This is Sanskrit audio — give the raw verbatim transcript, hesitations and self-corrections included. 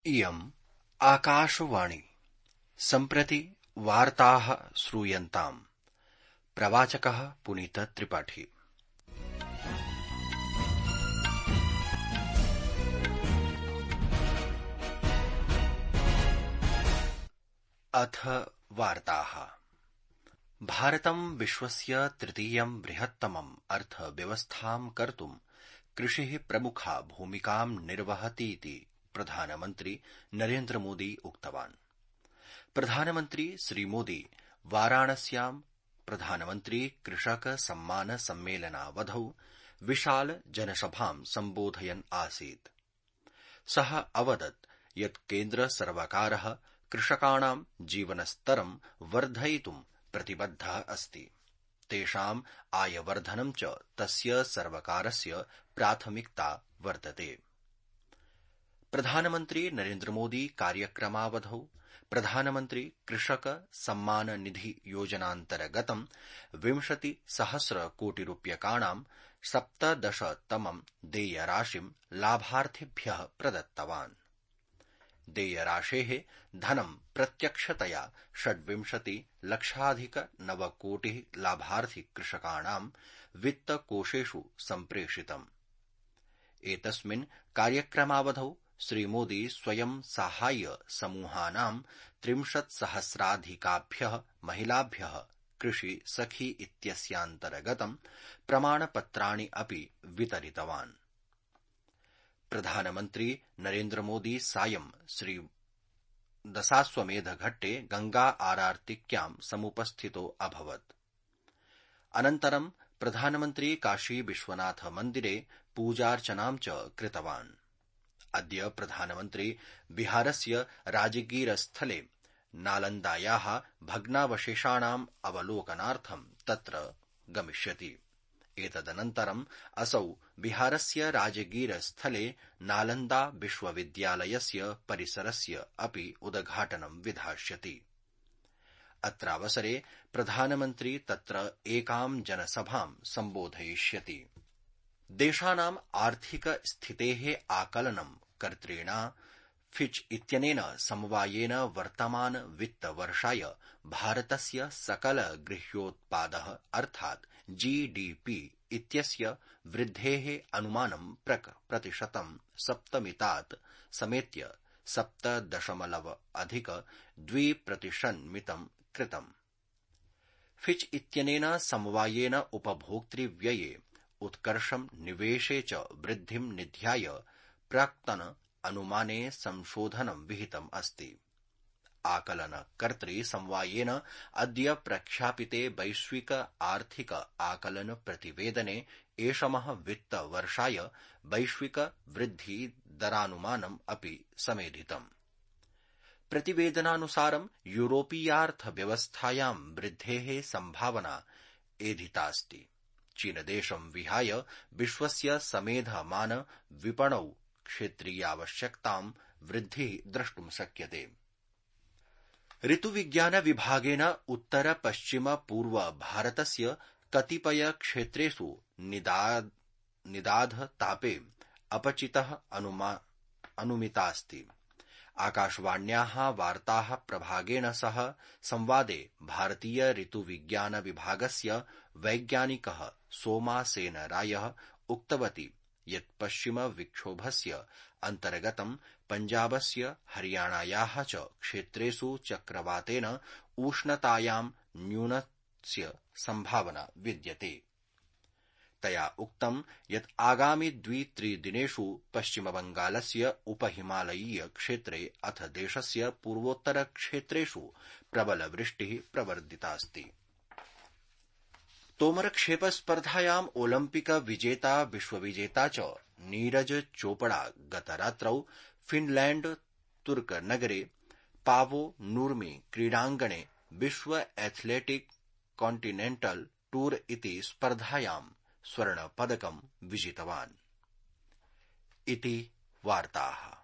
इयम् आकाशवाणी। सम्प्रति वार्ताः श्रूयन्ताम्। प्रवाचकः पुनीत त्रिपाठी। अथ वार्ताः। भारतं विश्वस्य तृतीयं बृहत्तमम् अर्थव्यवस्थां कर्तुं कृषिः प्रमुखा भूमिकां निर्वहतीति प्रधानमन्त्री नरेन्द्रमोदी उक्तवान्। प्रधानमन्त्री श्रीमोदी वाराणस्यां प्रधानमन्त्री कृषक सम्मान सम्मेलनावधौ विशाल जनसभां सम्बोधयन् आसीत्। सः अवदत् यत् केन्द्र सर्वकारः कृषकाणां जीवनस्तरं वर्धयितुं प्रतिबद्धः अस्ति। तेषाम् आयवर्धनं च तस्य सर्वकारस्य प्राथमिकता वर्तते। प्रधानमन्त्री नरेन्द्रमोदी कार्यक्रमावधौ प्रधानमन्त्री कृषक सम्मान निधि योजनान्तर्गतं विंशति सहस्र कोटिरूप्यकाणां सप्तदशतमं देयराशिं लाभार्थिभ्यः प्रदत्तवान्। देयराशेः धनं प्रत्यक्षतया षड्विंशति लक्षाधिक नवकोटिः लाभार्थि कृषकाणां वित्तकोषेषु सम्प्रेषितम्। एतस्मिन् कार्यक्रमावधौ श्रीमोदी स्वयं साहाय्य समूहानां त्रिंशत्सहस्राधिकाभ्यः महिलाभ्यः कृषि सखी इत्यस्यान्तर्गतं प्रमाणपत्राणि अपि वितरितवान्। प्रधानमन्त्री नरेन्द्रमोदी सायं श्री दशाश्वमेधघट्टे गंगा आरार्तिक्यां समुपस्थितो अभवत्। अनन्तरं प्रधानमन्त्री काशी विश्वनाथ मन्दिरे पूजार्चनां च कृतवान्। अद्य प्रधानमन्त्री बिहारस्य राजगीरस्थले नालन्दायाः भग्नावशेषाणाम् अवलोकनार्थं तत्र गमिष्यति। एतदनन्तरम् असौ बिहारस्य राजगीरस्थले नालन्दा विश्वविद्यालयस्य परिसरस्य अपि उद्घाटनं विधास्यति। अत्रावसरे प्रधानमन्त्री तत्र एकां जनसभां सम्बोधयिष्यति। देशानाम् आर्थिक स्थितेः आकलनं कर्तृणा फिच इत्यनेन समवायेन वर्तमान वित्तवर्षाय भारतस्य सकल गृह्योत्पादः अर्थात् जीडीपी इत्यस्य वृद्धेः अनुमानं प्रक प्रतिशतं सप्तमितात् समेत्य सप्त दशमलव अधिक द्विप्रतिशन्मितं कृतम्। फिच इत्यनेन समवायेन उपभोक्तृव्यये उत्कर्षं निवेशे च वृद्धिं निध्याय प्राक्तन अनुमाने संशोधनं विहितम् अस्ति। आकलनकर्तृ समवायेन अद्य प्रख्यापिते वैश्विक आर्थिक आकलन प्रतिवेदने एषमः वित्तवर्षाय वैश्विक वृद्धि दरानुमानम् अपि समेधितम्। प्रतिवेदनानुसारं यूरोपीयार्थव्यवस्थायां वृद्धेः सम्भावना एधितास्ति। चीनदेशं विहाय विश्वस्य समेधमान विपणौ क्षेत्रीयावश्यकतां वृद्धिः द्रष्टुं शक्यते। ऋतुविज्ञान विभागेन उत्तर पश्चिम पूर्व भारतस्य कतिपय क्षेत्रेषु निदाद निदाध तापे अपचितः अनुमितास्ति। आकाशवाण्याः वार्ताः प्रभागेण सह संवादे भारतीय ऋतुविज्ञान विभागस्य वैज्ञानिकः सोमा सेन रायः उक्तवती यत् पश्चिम विक्षोभस्य अन्तर्गतं पञ्जाबस्य हरियाणायाः च क्षेत्रेषु चक्रवातेन उष्णतायां न्यूनस्य सम्भावना विद्यते। तया उक्तं यत् आगामि द्वित्रिदिनेषु पश्चिमबंगालस्य उपहिमालयीय क्षेत्रे अथ देशस्य पूर्वोत्तर क्षेत्रेषु प्रबल वृष्टिः प्रवर्धितास्ति। तोमरक्षेप स्पर्धायाम् ओलम्पिक विजेता विश्वविजेता च नीरज चोपड़ा गतरात्रौ फिनलैण्ड तुर्क नगरे पावो नूर्मी क्रीडाङ्गणे विश्व एथलेटिक कॉन्टिनेंटल टूर इति स्पर्धायां स्वर्णपदकं विजितवान्। इति वार्ताः।